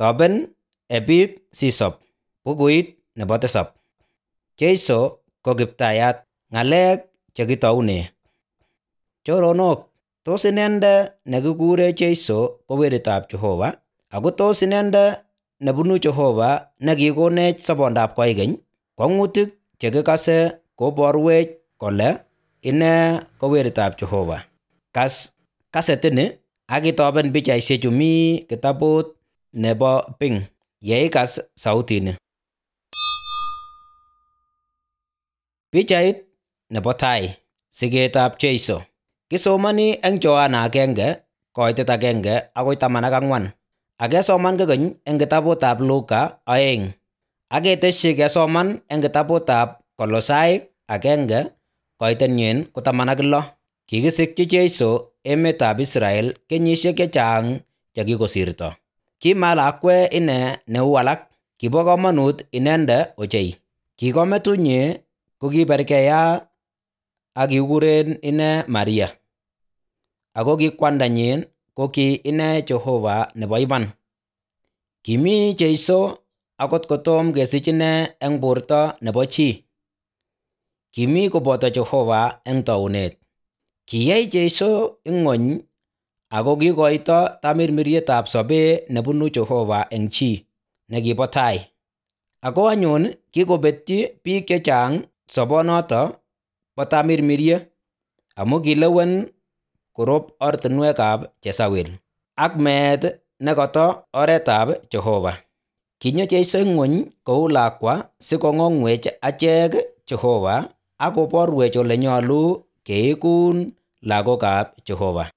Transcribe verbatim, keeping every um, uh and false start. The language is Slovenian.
Toben epit sisop. Bukuit nebo tisab. Jeiso ko Kiptayat. Ng'alek chekitoune. Choronok, tos inendet nekikure Jeiso ko weritab Jehova? Ako tos inendet nebunu Jehova nekikonech sobondab koikeny? Kwang'utik chekikase koborwech kole ine ko weritab Jehova. Kas kasetini ak itoben pichaisiechu mi kitabut nebo Pink yeikas sautini. Pichait nebo tai. Siketab Jeiso. Kisomoni eng Johana agenge koitet agenge akoi taman ak ang'wan. Ak kesoman kokeny eng kitabutab Luka oeng. Ak ketesyi kesoman eng kitabutab Kolosaik agenge koitenyin ko taman ak lo. Kikisikyi Jeiso emetab Israel kenyisiek chechang chekikosirto. Kimalakwe ine neu alak. Kibo komonut inendet ochei. Kikometunyi ko kiberkeya ak kikuren ine Maria. Ako ki kwandanyin ko ki ine Jehova nebo iman. Kimi Jeiso akot kotom kesich ine eng borto nebo chi. Kimi koboto Jehova eng taunet. Kiyai Jeiso ing'ony ako kikoito tamirmirietab sobet nebunu Jehova eng chi nekibo tai. Ako anyun kikobetyi biik chechang sobonoto bo tamirmirie amu kilewen korob ortinwekab Jezabel ak meet nekoto oretab Jehova. Kinyo Jeiso ing'ony kou lakwa sikong'ong'wech achek Jehova ak koborwech ole nyolu keikun lagokab Jehova.